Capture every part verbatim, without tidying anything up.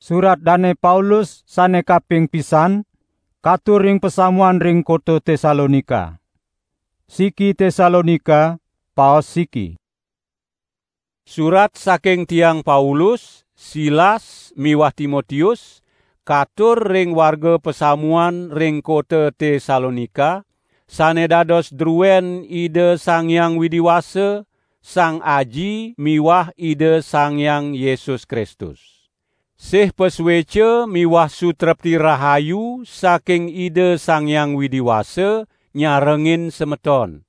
Surat Dane Paulus sane kaping pisan, katur ring pasamuan ring kota Tesalonika. Siki Tesalonika, paos siki. Surat saking tiang Paulus, Silas miwah Timotius, katur ring warga pasamuan ring kota Tesalonika, sane dados druen Ida Sang Hyang Widi Wasa, Sang Aji miwah Ida Sang Hyang Yesus Kristus. Sih pasueca miwah sutrepti rahayu saking Ida Sang Hyang Widi Wasa nyarengin semeton.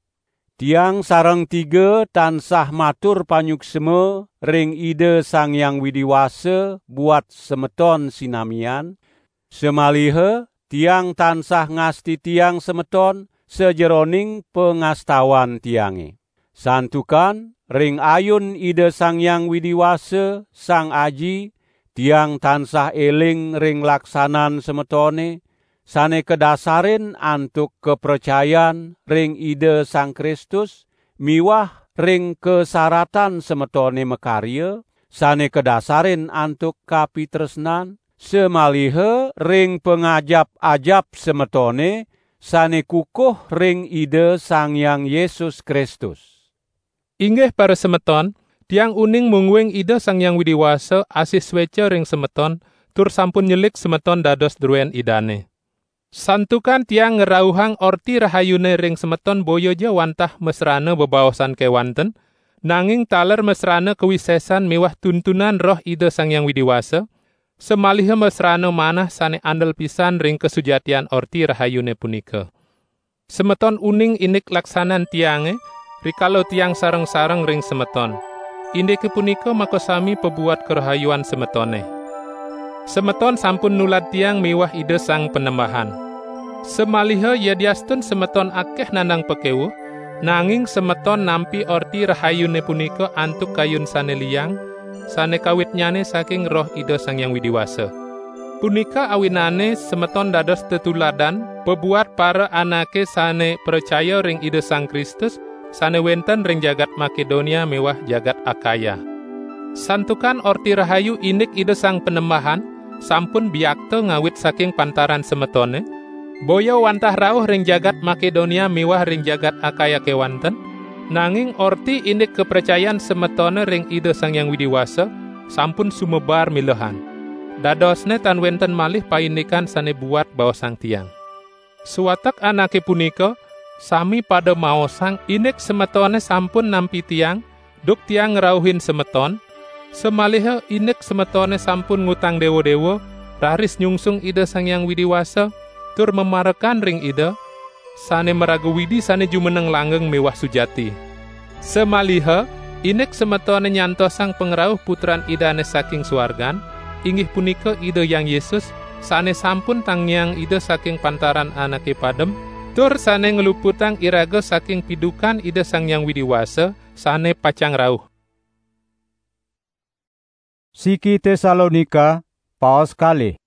Tiang sareng tiga tansah matur panyuksma ring Ida Sang Hyang Widi Wasa buat semeton sinamian, samaliha tiang tansah ngastitiang semeton sajeroning pangastawan tiange. Santukan ring ayun Ida Sang Hyang Widi Wasa, Sang Aji, tiang tansah eling ring laksanan semetone, sane kadasarin antuk kapracayan ring Ida Sang Kristus, miwah ring kasaratan semetone makarya, sane kadasarin antuk kapitresnan, samaliha ring pangajap-ajap semetone, sane kukuh ring Ida Sang Hyang Yesus Kristus. Inggih parasemeton, tiang uning mungguing Ida Sang Hyang Widi Wasa asih sueca ring semeton, tur sampun nyelik semeton dados druen Idane. Santukan tiang ngrauhang Orti Rahayune ring semeton boya ja wantah masrana bebaosan kewanten, nanging taler masrana kawisesan miwah tuntunan Roh Ida Sang Hyang Widi Wasa, samaliha masrana manah sane andel pisan ring kasujatian Orti Rahayune punika. Semeton uning indik laksanan tiange, rikala tiang sareng-sareng ring semeton. Indike punika makasami pabuat karahayuan semetone. Semeton sampun nulad tiang miwah Ida Sang Panembahan. Samaliha yadiastun semeton akeh nandang pakewuh, nanging semeton nampi Orti Rahayune punika antuk kayun sane liang, sane kawitnyane saking Roh Ida Sang Hyang Widi Wasa. Punika awinane semeton dados tetuladan pabuat para anake sane pracaya ring Ida Sang Kristus, sane wenten ring jagat Makedonia miwah jagat Akaya. Santukan Orti Rahayu indik Ida Sang Panembahan sampun biakta ngawit saking pantaran semetone, boya wantah rauh ring jagat Makedonia miwah ring jagat Akaya kewanten, nanging Orti indik kapracayan semetone ring Ida Sang Hyang Widi Wasa sampun sumebar milehan. Dadosne tan wenten malih paindikan sane buat baosang tiang. Sawatek anake punika sami pada maosang indik semetone sampun nampi tiang, duk tiang ngrauhin semeton, samaliha indik semetone sampun ngutang dewa-dewa, raris nyungsung Ida Sang Hyang Widi Wasa, tur mamarekan ring Ida, sane maraga Widi sane jumeneng langgeng miwah sujati. Samaliha, indik semetone nyantosang pangrauh Putran Idane saking suargan, inggih punika Ida Hyang Yesus, sane sampun tangiang Ida saking pantaran anake padem, tur sane ngluputang iraga saking pidukan Ida Sang Hyang Widi Wasa, sane pacang rauh. Siki Tesalonika, paos kalih.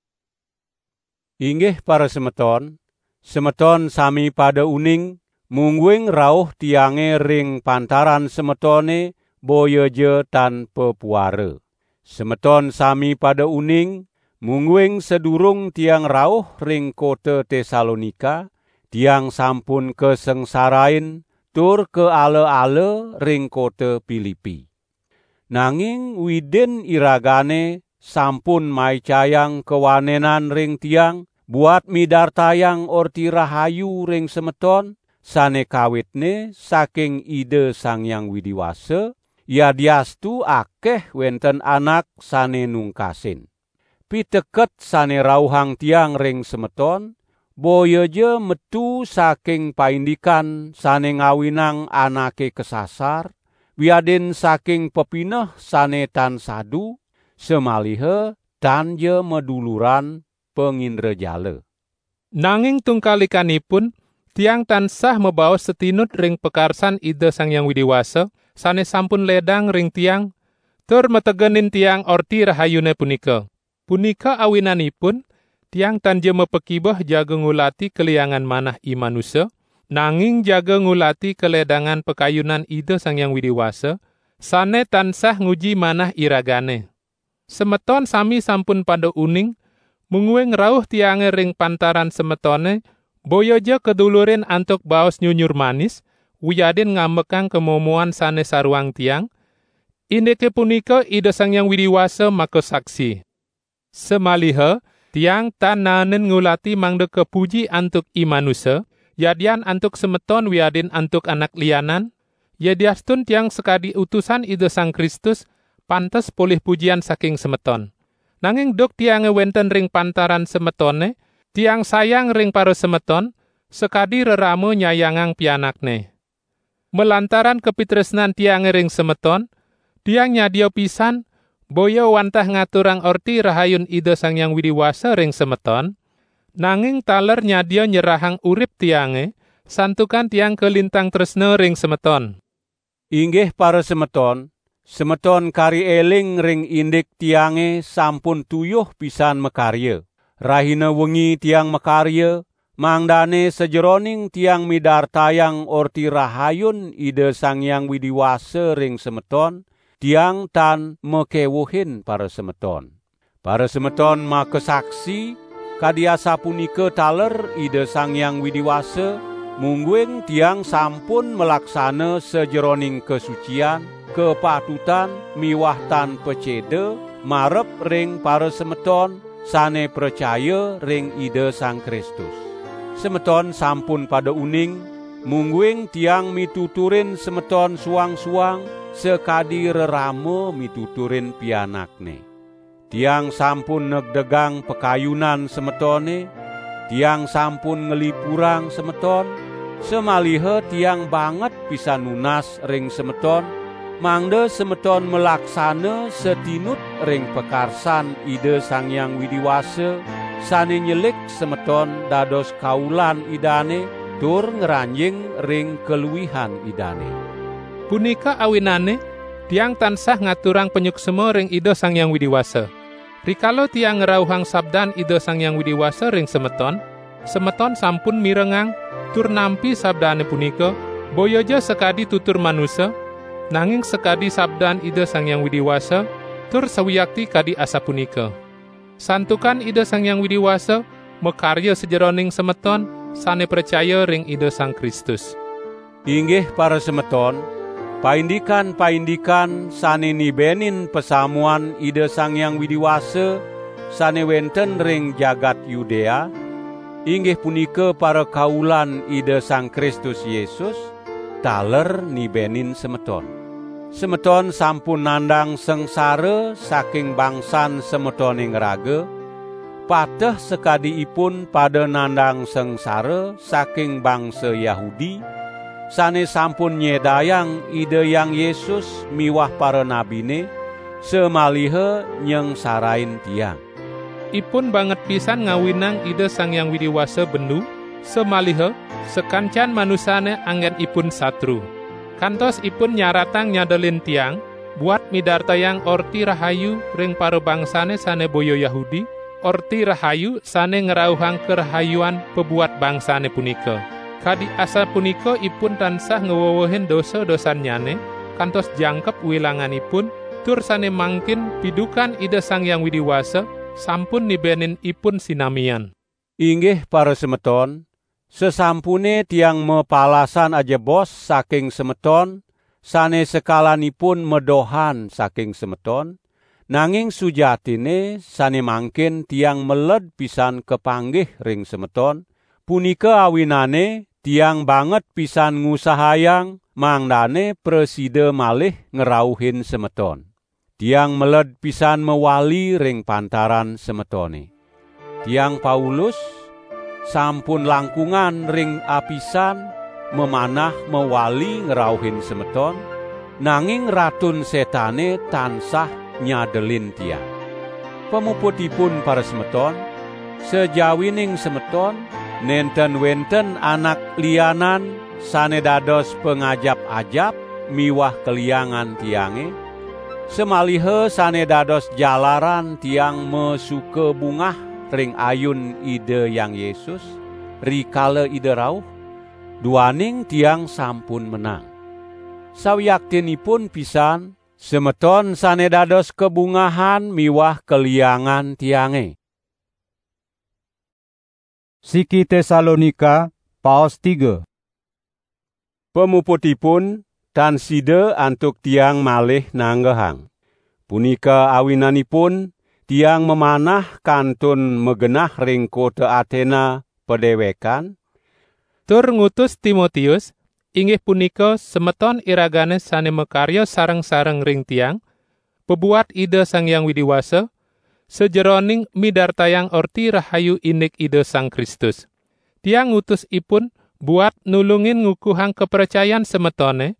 Inggih parasemeton, semeton sami pada uning, mungguing rauh tiange ring pantaran semetone boya ja tan papuara. Semeton sami pada uning, mungguing sadurung tiang rauh ring kota Tesalonika, tiang sampun kasengsarain tur kaala-ala ring kota Pilipi. Nanging Widin iragane sampun maicayang kawanenan ring tiang, buat midartayang Orti Rahayu ring semeton, sane kawitne saking Ida Sang Hyang Widi Wasa, yadiastu akeh wenten anak sane nungkasin. Piteket sane rauhang tiang ring semeton, boya ja metu saking paindikan sane ngawinang anake kasasar, wiadin saking pepineh sane tan sadu, samaliha tan ja maduluran pangindrajala. Nanging tungkalikanipun, tiang tansah mabaos satinut ring pakarsan Ida Sang Hyang Widi Wasa, sane sampun ledang ring tiang, tur mategenin tiang Orti Rahayune punika. Punika awinanipun, tiang tan ja mapakibeh jaga ngulati kaliangan manah i manusa, nanging jaga ngulati kaledangan pakayunan Ida Sang Hyang Widi Wasa, sane tansah nguji manah iragane. Semeton sami sampun pada uning, mungguing rauh tiange ring pantaran semetone, boya ja kadulurin antuk baos nyunyur manis, wiadin ngambekang kamomoan sane saruang tiang, indike punika Ida Sang Hyang Widi Wasa makasaksi. Samaliha tiang tan naenin ngulati mangda kapuji antuk i manusa, yadian antuk semeton wiadin antuk anak lianan, yadiastun tiang sakadi utusan Ida Sang Kristus, pantes polih pujian saking semeton. Nanging duk tiange wenten ring pantaran semetone, tiang sayang ring parasemeton, sakadi rerama nyayangang pianakne. Malantaran kapitresnan tiange ring semeton, tiang nyadia pisan, boya wantah ngaturang Orti Rahayun Ida Sang Hyang Widi Wasa ring semeton, nanging taler nyadia nyerahang urip tiange, santukan tiang kalintang tresna ring semeton. Inggih parasemeton, semeton kari eling ring indik tiange sampun tuyuh pisan makarya. Rahina wengi tiang makarya, mangdane sajeroning tiang midartayang Orti Rahayun Ida Sang Hyang Widi Wasa ring semeton, tiang tan makewuhin parasemeton. Parasemeton makasaksi, kadi asapunika taler Ida Sang Hyang Widi Wasa, mungguing tiang sampun malaksana sajeroning kasucian, kapatutan miwah tan paceda marep ring parasemeton sane pracaya ring Ida Sang Kristus. Semeton sampun pada uning, mungguing tiang mituturin semeton suang-suang sakadi rerama mituturin pianakne. Tiang sampun negdegang pakayunan semetone, tiang sampun nglipurang semeton, samaliha tiang banget pisan nunas ring semeton, mangda semeton malaksana satinut ring pakarsan Ida Sang Hyang Widi Wasa, sane nyelik semeton dados kaulan Idane, tur ngranjing ring kaluihan Idane. Punika awinane, tiang tansah ngaturang panyuksma ring Ida Sang Hyang Widi Wasa. Rikala tiang ngrauhang sabdan Ida Sang Hyang Widi Wasa ring semeton, semeton sampun mirengang tur nampi sabdane punika, boya ja sakadi tutur manusa, nanging sakadi sabdan Ida Sang Hyang Widi Wasa, tur sawiakti kadi asapunika. Santukan Ida Sang Hyang Widi Wasa makarya sajeroning semeton sane pracaya ring Ida Sang Kristus. Inggih parasemeton, paindikan-paindikan sane nibenin pasamuan Ida Sang Hyang Widi Wasa sane wenten ring jagat Yudea, inggih punika parakaulan Ida Sang Kristus Yesus, taler nibenin semeton. Semeton sampun nandang sangsara saking bangsan semetone ngraga, pateh sakadi ipun pada nandang sangsara saking bangsa Yahudi, sane sampun nyedayang Ida Hyang Yesus miwah paranabine, samaliha nyangsarain tiang. Ipun banget pisan ngawinang Ida Sang Hyang Widi Wasa bendu, samaliha sakancan manusane anggen ipun satru. Kantos ipun nyaratang nyadelin tiang, buat midartayang Orti Rahayu ring parabangsane sane boya Yahudi, Orti Rahayu sane ngrauhang karahayuan pabuat bangsane punika. Kadi asapunika ipun tansah ngwewehin dosa-dosannyane, kantos jangkep wilanganipun, tur sane mangkin pidukan Ida Sang Hyang Widi Wasa sampun nibenin ipun sinamian. Inggih parasemeton, sasampune tiang mapalasan ajebos saking semeton, sane sekalanipun medohan saking semeton, nanging sujatinne sane mangkin tiang meled pisan kapanggih ring semeton, punika awinane tiang banget pisan ngusahayang mangdane prasida malih ngrauhin semeton. Tiang meled pisan mawali ring pantaran semetone. Tiang Paulus sampun langkungan ring apisan mamanah mawali ngrauhin semeton, nanging Ratun Setane tansah nyadelin tiang. Pamuputipun parasemeton, sajawining semeton nenten wenten anak lianan sane dados pangajap-ajap miwah kaliangan tiange, samaliha sane dados jalaran tiang masuka bungah ring ayun Ida Hyang Yesus, rikala Ida rauh, duaning tiang sampun menang. Sawiaktinipun pisan, Semeton sane dados kabungahan miwah kaliangan tiange. Siki Tesalonika, paos tiga. Pamuputipun, tan sida antuk tiang malih nanggehang. Punika awinanipun, tiang mamanah kantun magenah ring kota Atena padewekan, tur ngutus Timotius, inggih punika semeton iragane sane makarya sareng-sareng ring tiang, pabuat Ida Sang Hyang Widi Wasa, sajeroning midartayang Orti Rahayu indik Ida Sang Kristus. Tiang ngutus ipun buat nulungin ngukuhang kapracayan semetone,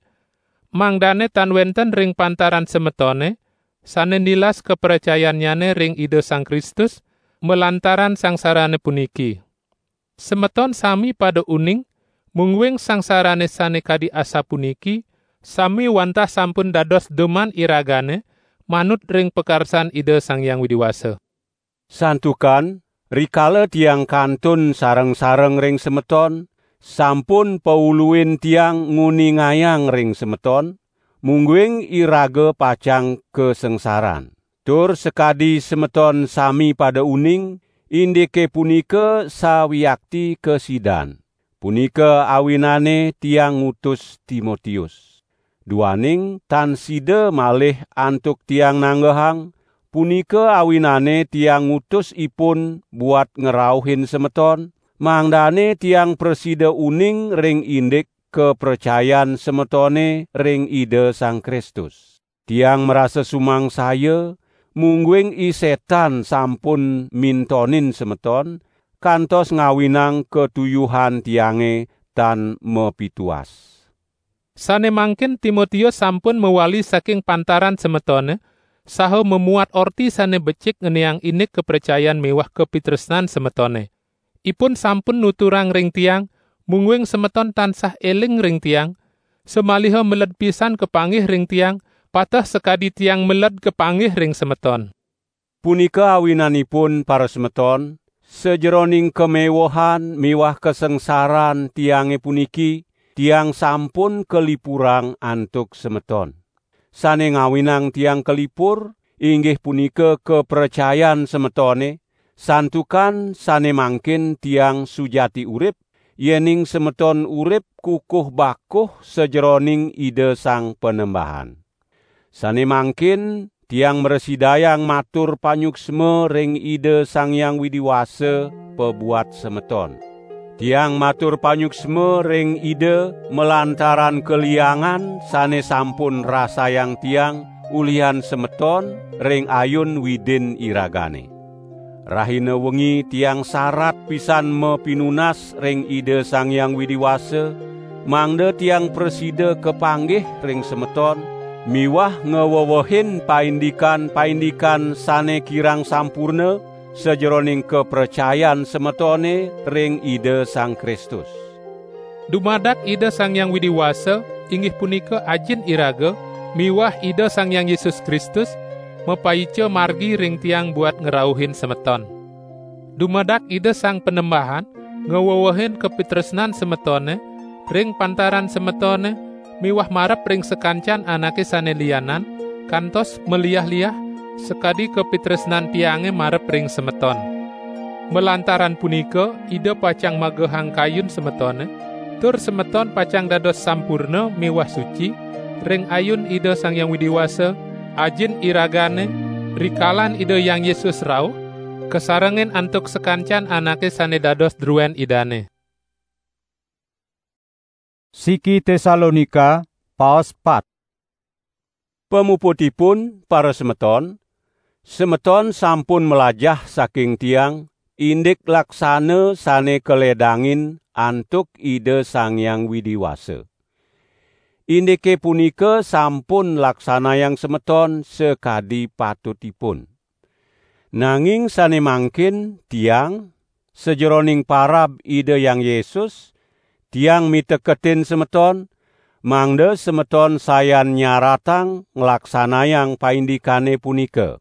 mangdane tan wenten ring pantaran semetone sane nilas kapracayannyane ring Ida Sang Kristus malantaran sangsarane puniki. Semeton sami pada uning, mungguing sangsarane sane kadi asapuniki, sami wantah sampun dados duman iragane, manut ring pakarsan Ida Sang Hyang Widi Wasa. Santukan, rikala tiang kantun sareng-sareng ring semeton, sampun pauluin tiang nguningayang ring semeton, mungguing iraga pacang kasangsaran. Tur sakadi semeton sami pada uning, indike punika sawiakti kasidan. Punika awinane tiang ngutus Timotius. Duaning tan sida malih antuk tiang nanggehang, punika awinane tiang ngutus ipun buat ngrauhin semeton, mangdane tiang prasida uning ring indik kapracayan semetone ring Ida Sang Kristus. Tiang marasa sumangsaya, mungguing i Setan sampun mintonin semeton, kantos ngawinang katuyuhan tiange tan mapituas. Sane mangkin Timotius sampun mawali saking pantaran semetone, saha mamuat orti sane becik ngeniang indik kapracayan miwah kapitresnan semetone. Ipun sampun nuturang ring tiang, mungguing semeton tansah eling ring tiang, samaliha meled pisan kapanggih ring tiang, pateh sakadi tiang meled kapanggih ring semeton. Punika awinanipun, parasemeton, sajeroning kamewehan miwah kasangsaran tiange puniki, tiang sampun kalipurang antuk semeton. Sane ngawinang tiang kalipur, inggih punika kapracayan semetone, santukan sane mangkin tiang sujati urip, yening semeton urip kukuh bakuh sajeroning Ida Sang Panembahan. Sane mangkin tiang mrasidayang matur panyuksma ring Ida Sang Hyang Widi Wasa pabuat semeton. Tiang matur panyuksma ring Ida malantaran kaliangan sane sampun rasayang tiang ulihan semeton ring ayun Widin iragane. Rahina wengi tiang sarat pisan mapinunas ring Ida Sang Hyang Widi Wasa, mangda tiang prasida kapanggih ring semeton, miwah ngwewehin paindikan-paindikan sane kirang sampurna sajeroning kapracayan semetone ring Ida Sang Kristus. Dumadak Ida Sang Hyang Widi Wasa, inggih punika Ajin iraga, miwah Ida Sang Hyang Yesus Kristus, mapaica margi ring tiang buat ngrauhin semeton. Dumadak Ida Sang Panembahan, ngwewehin kapitresnan semetone, ring pantaran semetone, miwah marep ring sakancan anake sane lianan, kantos maliah-liah, sakadi kapitresnan tiange marep ring semeton. Malantaran punika, Ida pacang magehang kayun semetone, tur semeton pacang dados sampurna miwah suci, ring ayun Ida Sang Hyang Widi Wasa, Ajin iragane, rikalan Ida Hyang Yesus rauh, kasarengin antuk sakancan anake sane dados druen Idane. Siki Tesalonika, paos pat. Pamuputipun, parasemeton, semeton sampun mlajah saking tiang indik laksana sane kaledangin antuk Ida Sang Hyang Widi Wasa. Indike punika sampun laksanayang semeton sakadi patutipun. Nanging sane mangkin tiang, sajeroning parab Ida Hyang Yesus, tiang miteketin semeton, mangda semeton sayan nyaratang nglaksanayang paindikane punika.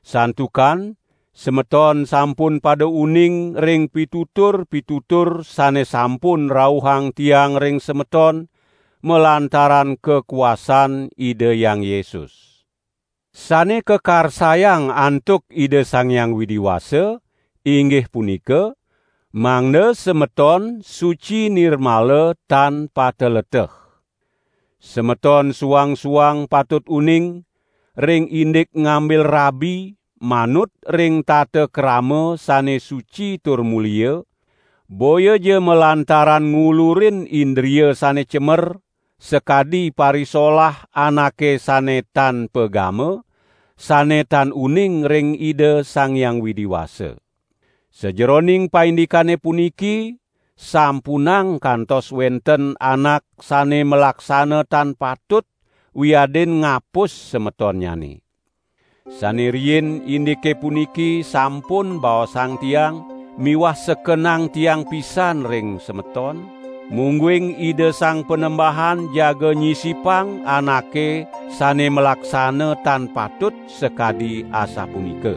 Santukan semeton sampun pada uning ring pitutur-pitutur sane sampun rauhang tiang ring semeton, malantaran kakuasan Ida Hyang Yesus. Sane kakarsayang antuk Ida Sang Hyang Widi Wasa, inggih punika, mangda semeton suci nirmala tan pateleteh. Semeton suang-suang patut uning ring indik ngambil rabi manut ring tata krama sane suci tur mulia, boya ja malantaran ngulurin indria sane cemer, sakadi parisolah anake sane tan pagama, sane tan uning ring Ida Sang Hyang Widi Wasa. Sajeroning paindikane puniki, sampunang kantos wenten anak sane malaksana tan patut wiadin ngapus semetonnyane. Sane riin indike puniki sampun baosang tiang miwah sekenang tiang pisan ring semeton, mungguing Ida Sang Panembahan jaga nyisipang anake sane malaksana tan patut sakadi asapunika.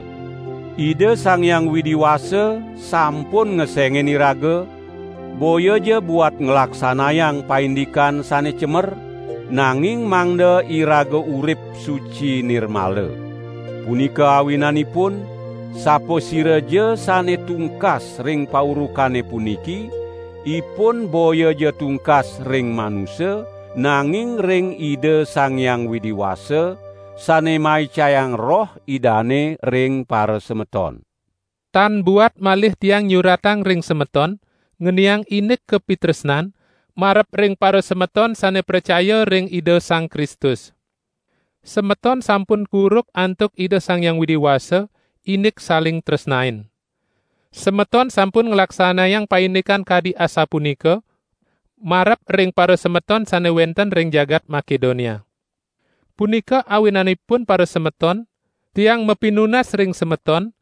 Ida Sang Hyang Widi Wasa sampun ngesengin iraga, boya ja buat nglaksanayang paindikan sane cemer, nanging mangda iraga urip suci nirmala. Punika awinanipun, sapasira ja sane tungkas ring paurukane puniki, ipun boya ja tungkas ring manusa, nanging ring Ida Sang Hyang Widi Wasa, sane maicayang Roh Idane ring parasemeton. Tan buat malih tiang nyuratang ring semeton, ngeniang indik kapitresnan, marep ring parasemeton sane pracaya ring Ida Sang Kristus. Semeton sampun kuruk antuk Ida Sang Hyang Widi Wasa, indik saling tresnain. Semeton sampun nglaksanayang paindikan kadi asapunika, marep ring parasemeton sane wenten ring jagat Makedonia. Punika awinanipun parasemeton, tiang mapinunas ring semeton,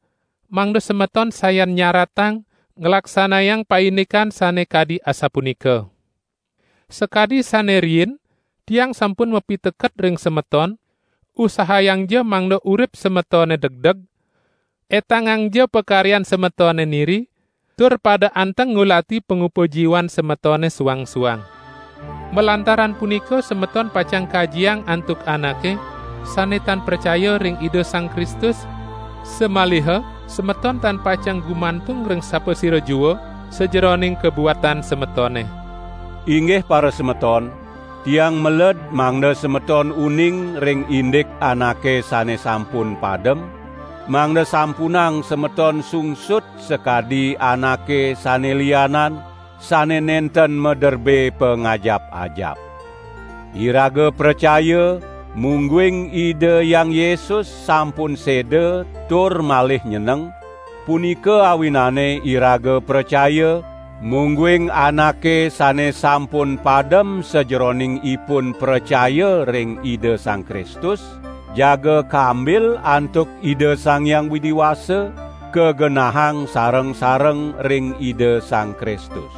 mangda semeton sayan nyaratang nglaksanayang paindikan sane kadi asapunika. Sakadi sane riin, tiang sampun mapiteket ring semeton, usahayangja mangda urip semetone degdeg, etangangja pakaryan semetone niri, tur pada anteng ngulati pangupajiwan semetone suang-suang. Malantaran punika semeton pacang kajiang antuk anake sane tan pracaya ring Ida Sang Kristus, samaliha semeton tan pacang gumantung ring sapasira jua sajeroning kabuatan semetone. Inggih parasemeton, tiang meled mangda semeton uning ring indik anake sane sampun padem, mangda sampunang semeton sungsut sakadi anake sane lianan, sane nenten maderbe pangajap-ajap. Iraga pracaya, mungguing Ida Hyang Yesus sampun seda tur malih nyeneng, punika awinane iraga pracaya, mungguing anake sane sampun padem sajeroning ipun pracaya ring Ida Sang Kristus, jaga kambil antuk Ida Sang Hyang Widi Wasa, kagenahang sareng-sareng ring Ida Sang Kristus.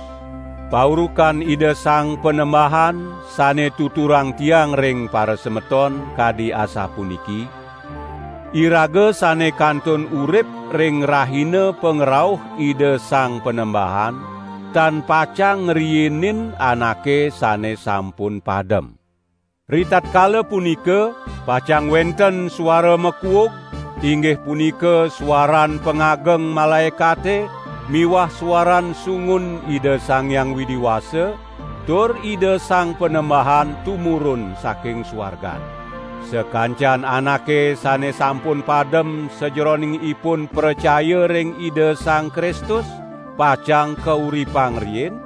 Paurukan Ida Sang Panembahan sane tuturang tiang ring parasemeton kadi asapuniki: Iraga sane kantun urip ring rahina pangrauh Ida Sang Panembahan, tan pacang ngriinin anake sane sampun padem. Ritatkala punika, pacang wenten suara makuug, inggih punika suaran pangageng malaekate miwah suaran sungun Ida Sang Hyang Widi Wasa, tur Ida Sang Panembahan tumurun saking suargan. Sakancan anake sane sampun padem sajeroning ipun pracaya ring Ida Sang Kristus, pacang kauripang riin,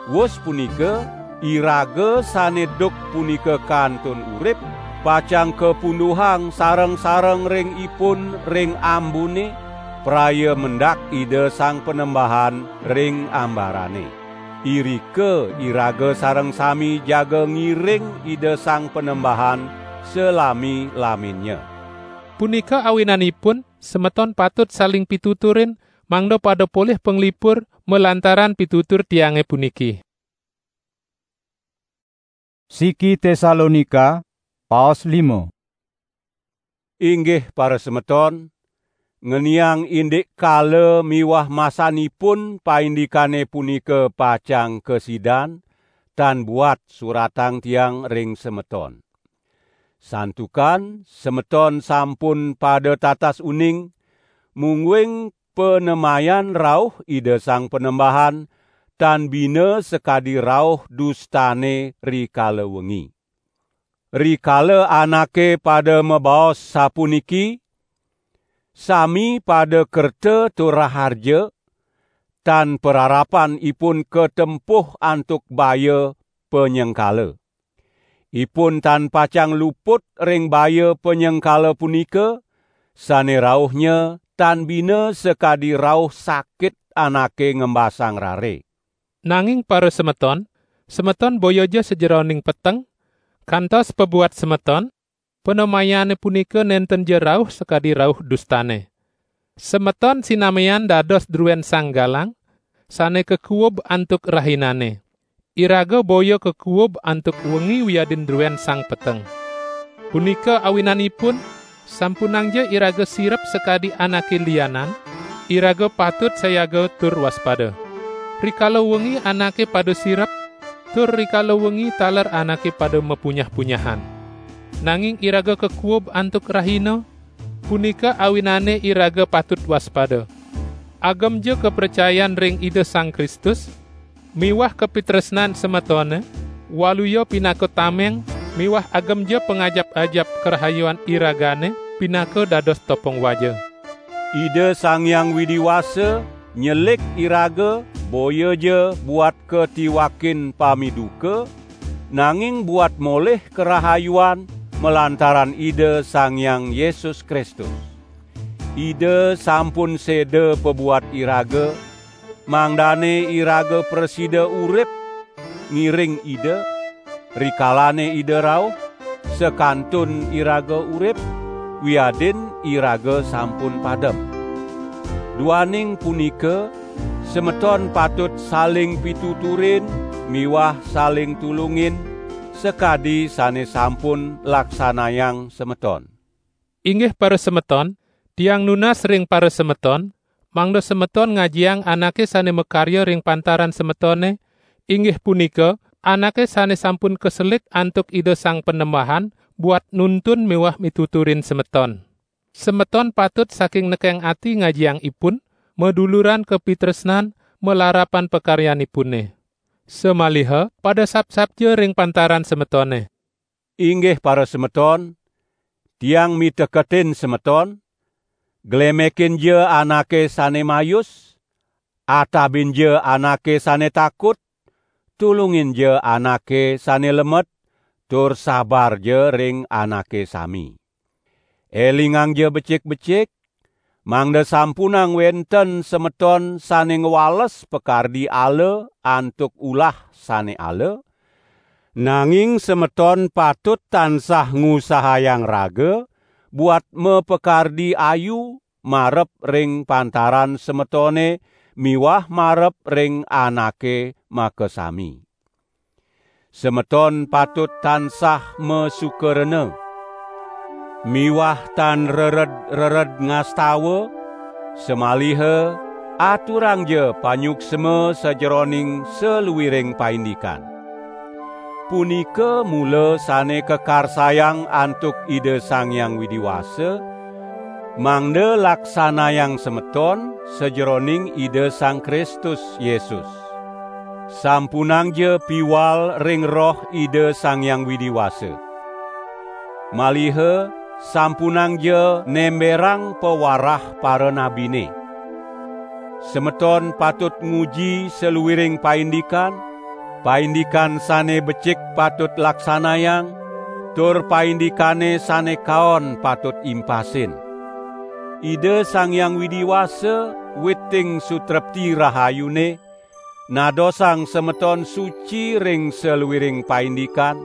Wus punika, iraga sane duk punika kantun urip, pacang kapunduhang sareng-sareng ring ipun ring ambune, praya mendak Ida Sang Panembahan ring ambarane. Irika iraga sareng sami jaga ngiring Ida Sang Panembahan salami-laminnya. Punika awinanipun, semeton patut saling pituturin, mangda pada polih panglipur malantaran pitutur tiange puniki. Siki Tesalonika, paos lima. Inggih parasemeton, ngeniang indik kala miwah masanipun paindikane punika pacang kasidan, tan buat suratang tiang ring semeton. Santukan semeton sampun pada tatas uning, mungguing panemayan rauh Ida Sang Panembahan tan bina sakadi rauh dustane rikala wengi. Rikala anake pada mabaos sapuniki, sami pada kerta tur raharja, tan pararapan ipun katempuh antuk baya panyengkala. Ipun tan pacang luput ring baya panyengkala punika, sane rauhnya tan bina sakadi rauh sakit anake ngembasang rare. Nanging parasemeton, semeton boya ja sajeroning peteng, kantos pabuat semeton, panemayane punika nenten ja rauh sakadi rauh dustane. Semeton sinamian dados druen sang galang, sane kakuub antuk rahinane. Iraga boya kakuub antuk wengi wiadin druen sang peteng. Punika awinanipun, sampunangja iraga sirep sakadi anake lianan, iraga patut sayaga tur waspada. Rikala wengi anake pada sirep, tur rikala wengi taler anake pada mapunyah-punyahan. Nanging iraga kakuub antuk rahina, punika awinane iraga patut waspada. Agemja kapracayan ring Ida Sang Kristus, miwah kapitresnan semetone, waluya pinaka tameng, miwah agemja pangajap-ajap karahayuan iragane pinaka dados topong waja. Ida Sang Hyang Widi Wasa nyelik iraga boya ja buat katiwakin pamiduka, nanging buat molih karahayuan malantaran Ida Sang Hyang Yesus Kristus. Ida sampun seda pabuat iraga, mangdane iraga prasida urip ngiring Ida, rikalane Ida rauh, sakantun iraga urip, wiadin iraga sampun padem. Duaning punika, semeton patut saling pituturin miwah saling tulungin, sakadi sane sampun laksanayang semeton. Inggih parasemeton, tiang nunas ring parasemeton, mangda semeton ngajiang anake sane makarya ring pantaran semetone, inggih punika, anake sane sampun kaselik antuk Ida Sang Panembahan buat nuntun miwah mituturin semeton. Semeton patut saking nekeng ati ngajiang ipun, maduluran kapitresnan, malarapan pakaryanipune. Samaliha pada sapsapja ring pantaran semetone. Inggih parasemeton, tiang miteketin semeton, glemekinja anake sane mayus, atabinja anake sane takut, tulunginja anake sane lemet, tur sabarja ring anake sami. Elingangja becik-becik, mangda sampunang wenten semeton sane ngwales pakardi ala antuk ulah sane ala, nanging semeton patut tansah ngusahayang raga buat mapakardi ayu marep ring pantaran semetone miwah marep ring anake makasami. Semeton patut tansah masukarena miwah tan rered-rered ngastawa, samaliha aturangja panyuksma sajeroning saluiring paindikan. Punika mula sane kakarsayang antuk Ida Sang Hyang Widi Wasa, mangda laksanayang semeton sajeroning Ida Sang Kristus Yesus. Sampunangja piwal ring Roh Ida Sang Hyang Widi Wasa. Maliha sampunangja nemberang pawarah paranabine. Semeton patut nguji saluiring paindikan, paindikan sane becik patut laksanayang, tur paindikane sane kaon patut impasin. Ida Sang Hyang Widi Wasa, witing sutrepti rahayune, nadosang semeton suci ring saluiring paindikan,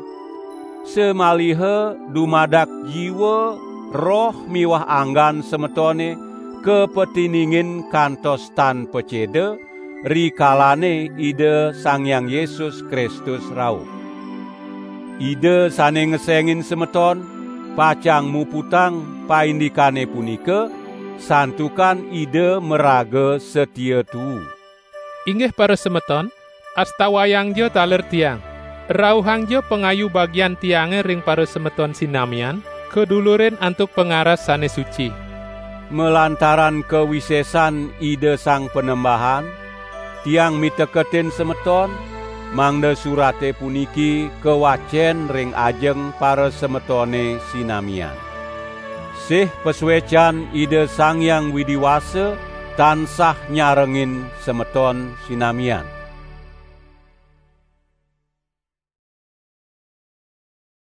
samaliha dumadak jiwa, roh miwah anggan semetone kapatiningin kantos tan paceda, rikalane Ida Sang Hyang Yesus Kristus rauh. Ida sane ngesengin semeton, pacang muputang paindikane punika, santukan Ida maraga satia tuu. Inggih parasemeton, astawayangja taler tiang. Rauhangja pangayu bagian tiange ring parasemeton sinamian, kadulurin antuk pangaras sane suci. Malantaran kawisesan Ida Sang Panembahan, tiang miteketin semeton, mangda surate puniki kawacen ring ajeng parasemetone sinamian. Sih pasuecan Ida Sang Hyang Widi Wasa tansah nyarengin semeton sinamian.